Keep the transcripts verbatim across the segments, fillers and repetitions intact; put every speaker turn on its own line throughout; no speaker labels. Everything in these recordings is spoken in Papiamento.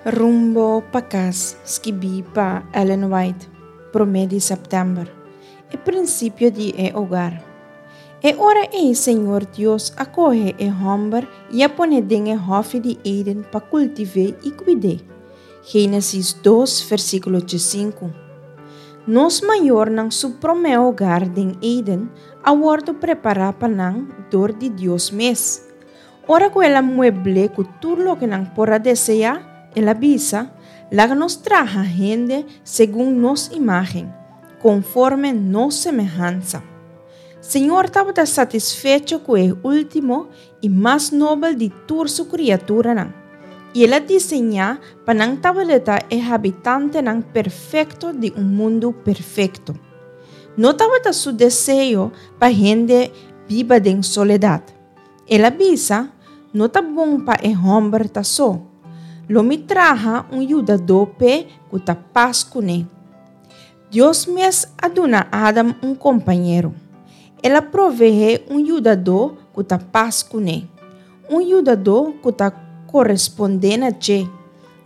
Rumbo pa Kas, skibí pa Ellen White, promé di sèptèmber. E prinsipio di e hogar. E ora ei Señor Dios a kohe e hòmber i a pon'é den e hòfi di Eden pa kultiv'é i kuid'é. Génesis dos, versíkulo sinku. Nos mayornan su promé hogar den Eden a wòrdu prepará pa nan dor di Dios mes. Ora ku el a muebl'é ku tur loke nan por a deseá, el a bisa: "Laga nos traha hende segun nos imágen, konforme nos semehansa." Señor tabata satisfecho ku e último i mas nobel di tur su kriaturanan. I el a diseñá pa nan tabata e habitantenan perfekto di un mundu perfekto. No tabata su deseo pa hende biba den soledat. El a bisa: "No ta bon pa e hòmber ta so. Lo mi traha un yudadó p'e ku ta pas kuné." Dios mes a duna Adam un kompañero. El a proveé un yudadó ku ta pas kuné. Un yudadó ku ta korespondé na dje.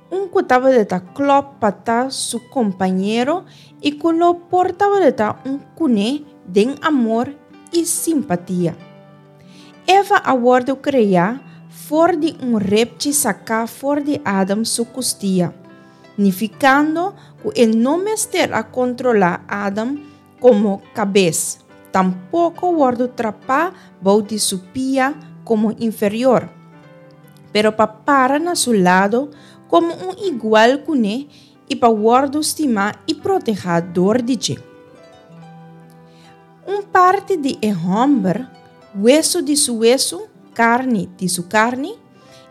Un ku tabata klòp pa ta su kompañero i ku lo por tabata un kuné den amor i simpatia. Eva a wòrdu kreá for di un repchi saká for di Adam su kustia, nifikando ku e no mester a kontrolá Adam komo kabes, tampoko wòrdu trapá bou di su pia komo inferior, pero pa para na su lado komo un igual kuné i pa wòrdu stimá i protehá dor di dje. Un parti di e hòmber, wesu di su wesu, karni di su karni,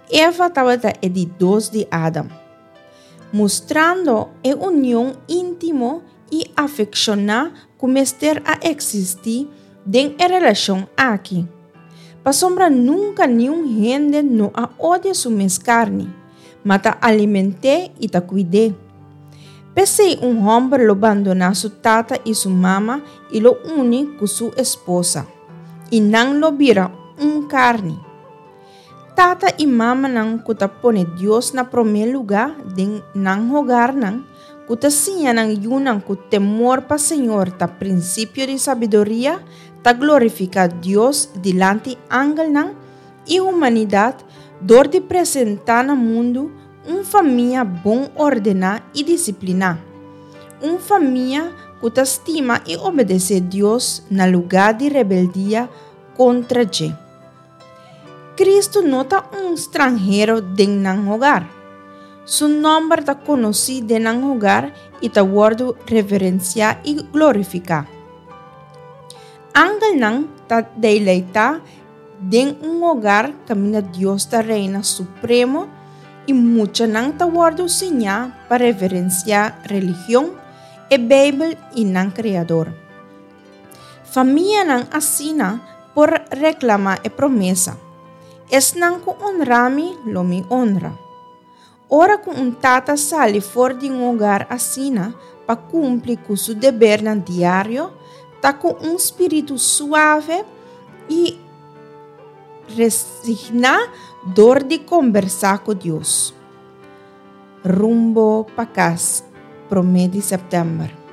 Eva tabata e di dos di Adam, mustrando e union íntimo i afekshoná ku mester a eksistí den e relashon aki. Pasobra nunka niun hende no a odia su mes karni, ma ta aliment'é i ta kuid'é. P'esei un hòmber lo bandoná su tata i su mama i lo uni ku su esposa, i nan lo bira un karni. Tata i mamanan ku ta pone Dios na promé lugá den nan hogarnan, ku ta siña nan yunan ku temor pa Señor ta prinsipio di sabiduria, ta glorifiká Dios dilanti angelnan i humanidat dor di presentá na mundu un famia bon ordená i disipliná. Un famia ku ta stima i obedesé Dios na lugá di rebeldia kontra dje. Kristu no ta un stranhero den nan hogar. Su nòmber ta konosí den nan hogar i ta wòrdu reverensiá i glorifiká. Angelnan ta deleitá den un hogar kaminda Dios ta reina supremo i muchanan ta wòrdu siñá pa reverensiá religion, e Beibel i nan Kreador. Famianan asina por reklamá e promesa: "Esnan ku honra mi, lo mi honra." Ora ku un tata sali for di un hogar asina pa kumpli ku su debernan diario, ta ku un spiritu suave i resigná dor di kombersá ku Dios. Rumbo pa Kas, promé di sèptèmber.